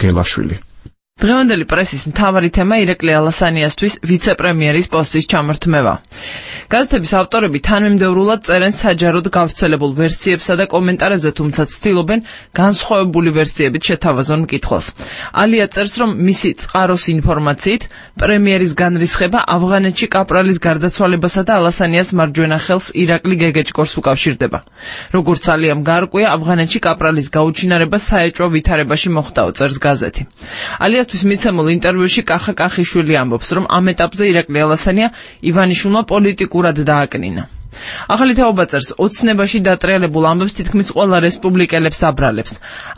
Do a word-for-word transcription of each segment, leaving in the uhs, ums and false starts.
გელაშვილი. დღევანდელი პრესის მთავარი თემა ირაკლი ალასანიასთვის ვიცე-პრემიერის პოსტის ჩამორთმევა. გაზეთების ავტორები თანმიმდევრულად წერენ საჯაროდ გავრცელებულ ვერსიებსა და კომენტარებზე, თუმცა ცდილობენ განსხვავებული ვერსიებით შეთავაზონ მკითხველს. ალია წერს, რომ მისი წყაროს ინფორმაციით პრემიერის განრისხება ავღანეთში კაპრალის გარდაცვალებასა და ალასანიას მარჯვენა ხელს ირაკლი გეგეჭკორს უკავშირდება. როგორც ალიამ გაარკვია, ავღანეთში კაპრალის გაუჩინარება საეჭვო ვითარებაში მოხდაო, წერს გაზეთი. ალიასთვის მიცემულ ინტერვიუში კახა კახიშვილი ამბობს, რომ ამ ეტაპზე ირაკლი ალასანია ივანიშვილმა პოლიტიკურად დააკნინა. ახალი თაობა წერს, ოცნებაში დატრიალებულ ამბებს თითქმის ყველა რესპუბლიკელებს აბრალებს.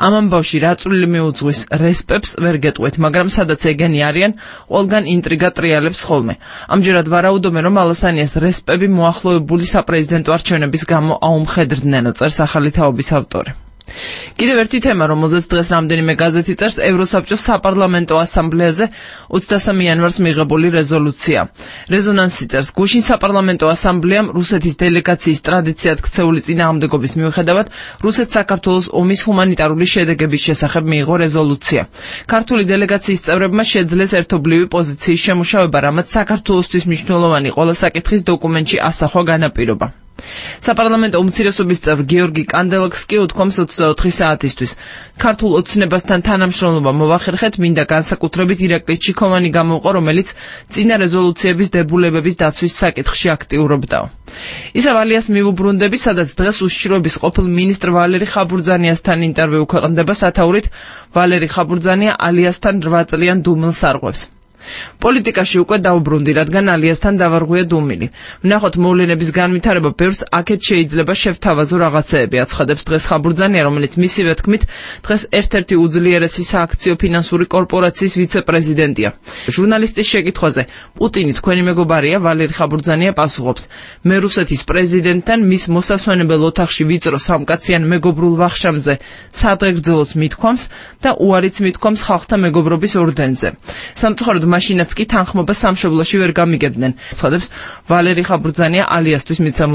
ამ ამბავში რა წვლილი მიუძღვის რესპებს ვერ გეტყვით, მაგრამ სადაც ეგენი არიან, ყველგან ინტრიგა ტრიალებს ხოლმე. ამჯერად ვარაუდობენ, რომ ალასანიას რესპები მოახლოებული საპრეზიდენტო არჩევნების გამო აუმხედრდნენო, წერს ახალი თაობის ავტორი. კიდევ ერთი თემა, რომელზეც დღეს რამდენიმე გაზეთი წერს, ევროსაბჭოს საპარლამენტო ასამბლეაზე ოცდასამი იანვარს მიღებული რეზოლუცია. რეზონანსი წერს, გუშინ საპარლამენტო ასამბლეამ რუსეთის დელეგაციის ტრადიციად ქცეული წინააღმდეგობის მიუხედავად რუსეთ-საქართველოს ომის ჰუმანიტარული შედეგების შესახებ მიიღო რეზოლუცია. ქართული დელეგაციის წევრებმა შეძლეს ერთობლივი პოზიციის შემუშავება, რამაც საქართველოსთვის მნიშვნელოვანი ყველა საკითხის დოკუმენტში ასახვა განაპირობა. საპარლამენტო უმცირესობის წევრ გიორგი კანდელაკს კი უთქვამს ოცდაოთხი საათისთვის. ქართულ ოცნებასთან თანამშრომლობა მოვახერხეთ, მინდა განსაკუთრებით ირაკლი ჩიქოვანი გამოვყო, რომელიც წინა რეზოლუციების დებულებების დაცვის საკითხში აქტიურობდაო. ისევ ალიას მივუბრუნდები, სადაც დღეს უშიშროების ყოფილ მინისტრ ვალერი ხაბურძანიასთან ინტერვიუ ქვეყნდება სათაურით ვალერი ხაბურძანია ალიასთან რვა წლიან დუმილს არღვევს. პოლიტიკაში უკვე დაუბრუნდი, რადგან ალიასთან დავარღვია დუმილი. ვნახოთ მოვლენების განვითარება, ბევრს აქეთ შეიძლება შევთავაზო რაღაცეები, აცხადებს დღეს ხაბურძანია, რომელიც მისივე თქმით დღეს ერთ-ერთი უძლიერესი სააქციო ფინანსური კორპორაციის ვიცე-პრეზიდენტია. ჟურნალისტის შეკითხვაზე, პუტინი თქვენი მეგობარია, ვალერი ხაბურძანია პასუხობს, მე რუსეთის პრეზიდენტთან მის მოსასვენებელ ოთახში ვიწრო სამკაციან მეგობრულ ვახშამზე სადღეგრძელოს მithქვამს და უარიც მithქვამს ხალხთა მეგობრობის ორდენზე. სამწუხაროდ მაშინაც კი თანხმობა სამშობლოში ვერ გამიგებდნენ, ცხადებს ვალერი ხაბურძანია ალიასთვის მიცემულ